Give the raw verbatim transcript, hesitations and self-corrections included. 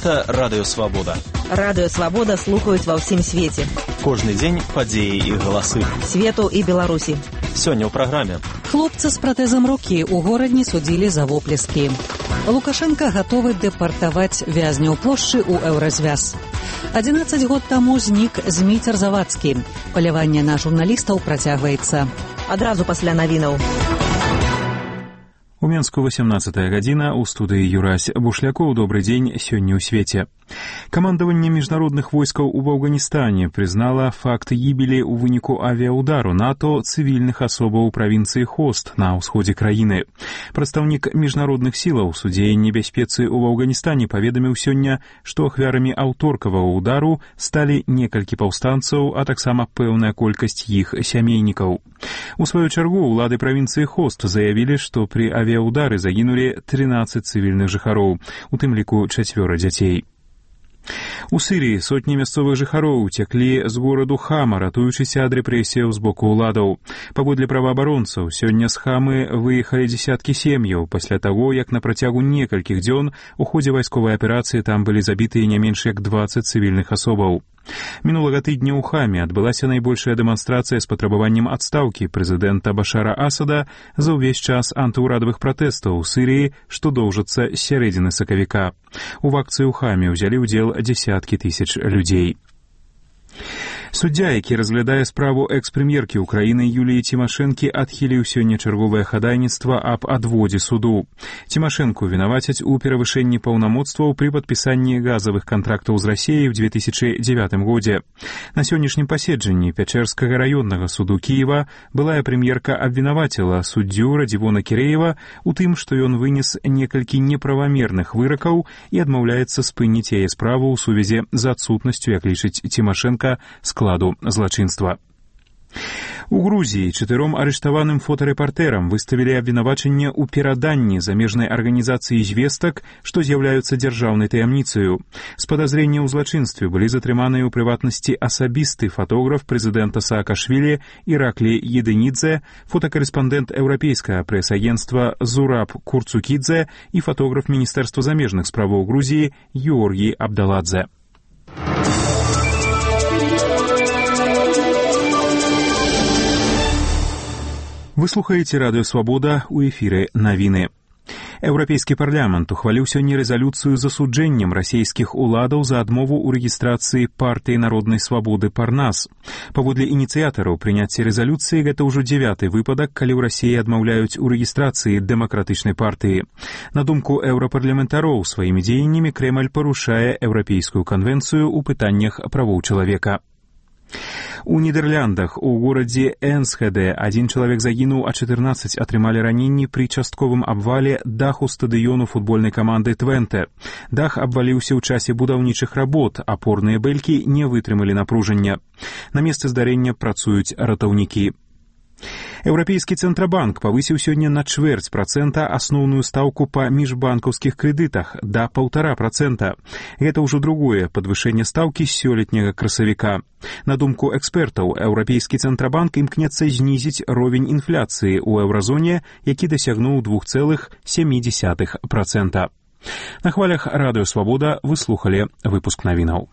Гэта Радыё Свабода. Радыё Свабода слухаюць ва ўсім свеце. Кожны дзень падзеі і галасы. Свету і Беларусі. Сёння ў праграме. Хлопца з пратэзам рукі ў горадні судзілі за воплескі. Лукашенко гатовы дэпартаваць вязняў плошчы ў еўразвяз. адзінаццаць год таму знік Зміцер Завадскі. Паляванне на журналістаў працягваецца. Адразу пасля навінаў. У Менску восемнадцатая гадзіна, у студыі Юрась Бушлякоў. Добрый дзень, сёння ў свеце. Камандаванне міжнародных войскаў у Афганістане прызнала факт гібелі ў выніку авіаудару НАТО цывільных асобаў у правінцыі Хост на ўсходзе краіны. Прадстаўнік міжнародных сілаў судзеяння бяспецы ў Афганістане паведаміў сёння, што ахвярамі аўторкавага ўдару сталі некалькі паўстанцаў, а таксама пэўная колькасць іх сямейнікаў. У сваю чаргу ўлады правінцыі Хост заявілі, што пры авіаудары загінулі трынаццаць цывільных жыхароў, у тым ліку чацвёра дзяцей. У Сірыі сотні мясцовых жыхароў уцяклі з гораду Хама, ратуючыся ад рэпрэсіяў з боку ўладаў. Паводле праваабаронцаў, сёння з Хамы выехалі дзесяткі сем'яў пасля таго, як на працягу некалькіх дзён у ходзе вайсковай аперацыі там былі забітыя не менш як дваццаць цывільных асобаў. Мінулага тыдня ў Хаме адбылася найбольшая дэманстрацыя з патрабаваннем адстаўкі прэзідэнта Башара Асада за ўвесь час антыўрадавых пратэстаў у Сірыі, што доўжацца з сярэдзіны сакавіка. У акцыі ў Хаме ўзялі ўдзел дзесяткі тысяч людзей. Суддзя, які разглядае справу экс-прэм'еркі ўкраіны Юліі Цімашэнкі, адхіліў сёння чарговае хадайніцтва аб адводзе суду. Цімашэнку вінавацяць у перавышэнні паўнамоцтваў пры падпісанні газавых кантрактаў з Расіяй у две тысячы дзевятым годзе. На сённяшнім паседжанні Пячэрскага раённага суду Кіева былая прэм'ерка абвінаваціла суддзю Радзівона Кірэева у тым, што ён вынес некалькі неправамерных выракаў і адмаўляецца спыніць яе справу ў сувязі з адсутнасцю, як лічыць Цімашэнка, складу злачынства. У Грузіі чатыром арыштаваным фотарэпартэрам выставілі абвінавачанне ў пераданні замежнай арганізацыі звестак, што з'яўляюцца дзяржаўнай таямніцаю. З падазрення ў злачынстве былі затрыманыя ў прыватнасці асабісты фотограф прэзідэнта Саакашвілі Іраклі Едынідзе, фотакарэспандэнт еўрапейскага прэс-агенцтва Зураб Курцукідзе і фотограф Міністэрства замежных справаў Грузіі Георгій Абдаладзе. Вы слухаеце Радыё Свабода, у эфіры навіны. Еўрапейскі парламент ухваліў сёння рэзалюцыю з асуджэннем расійскіх уладаў за адмову ў рэгістрацыі партыі народнай свабоды Парнас. Паводле ініцыятараў прыняцця рэзалюцыі гэта ўжо дзявяты выпадак, калі ў Расіі адмаўляюць у рэгістрацыі дэмакратычнай партыі. На думку еўрапарламентароў, сваімі дзеяннямі Крэмль парушае еўрапейскую канвенцыю ў пытаннях правоў чалавека. У Нідерландах у горадзе Энсхеде адзін чалавек загінуў, а чатырнаццаць атрымалі раненні пры частковым абвале даху стадыёну футбольнай каманды Твенте. Дах абваліўся ў часе будаўнічых работ, апорныя бэлькі не вытрымалі напружання. На месцы здарэння працуюць ратаўнікі. Еўрапейскі цэнтрабанк павысіў сёння на чвэрць працэнта асноўную стаўку па міжбанкаўскіх крэдытах да паўтара працэнта. Гэта ўжо другое падвышэнне стаўкі з сёлетняга красавіка. На думку экспертаў, еўрапейскі цэнтрабанк імкнецца знізіць ровень інфляцыі ў еўразоне, які дасягнуў два цэлых сем десятых працэнта. На хвалях Радыё Свабода вы слухалі выпуск навінаў.